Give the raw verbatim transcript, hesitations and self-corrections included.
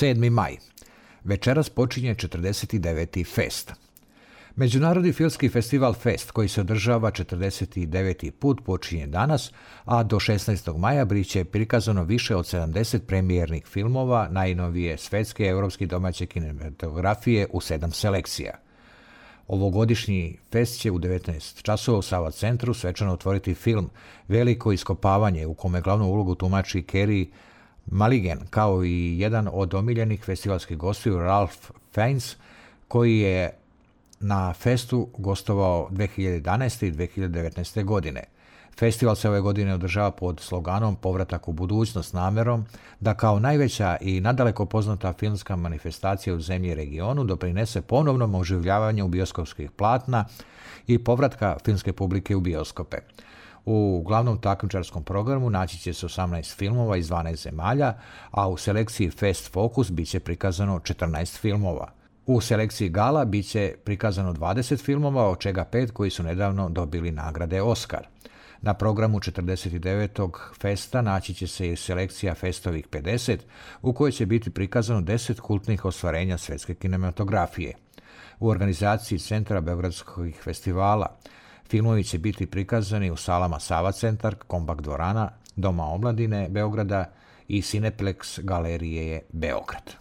sedmi maj. Večeras počinje četrdeset deveti Fest. Međunarodni filmski festival Fest, koji se održava četrdeset deveti put, počinje danas, a do šesnaestog maja biće prikazano više od sedamdeset premijernih filmova najnovije svetske, europske i domaće kinematografije u sedam selekcija. Ovogodišnji fest će u devetnaest časova u Sava centru svečano otvoriti film Veliko iskopavanje, u kome glavnu ulogu tumači Carey Mulligan, kao i jedan od omiljenih festivalskih gostiju Ralph Fiennes, koji je na festu gostovao dve hiljade jedanaeste. i dve hiljade devetnaeste. godine. Festival se ove godine održava pod sloganom Povratak u budućnost, namerom da kao najveća i nadaleko poznata filmska manifestacija u zemlji i regionu doprinese ponovnom oživljavanju bioskopskih platna i povratka filmske publike u bioskope. U glavnom takmičarskom programu naći će se osamnaest filmova iz dvanaest zemalja, a u selekciji Fest Focus bit će prikazano četrnaest filmova. U selekciji Gala bit će prikazano dvadeset filmova, od čega pet koji su nedavno dobili nagrade Oscar. Na programu četrdeset devetog Festa naći će se i selekcija Festovih pedeset, u kojoj će biti prikazano deset kultnih ostvarenja svetske kinematografije. U organizaciji Centra Beogradskih festivala filmovi će biti prikazani u salama Sava centar, Kompakt dvorana, Doma omladine Beograda i Cineplex galerije Beograd.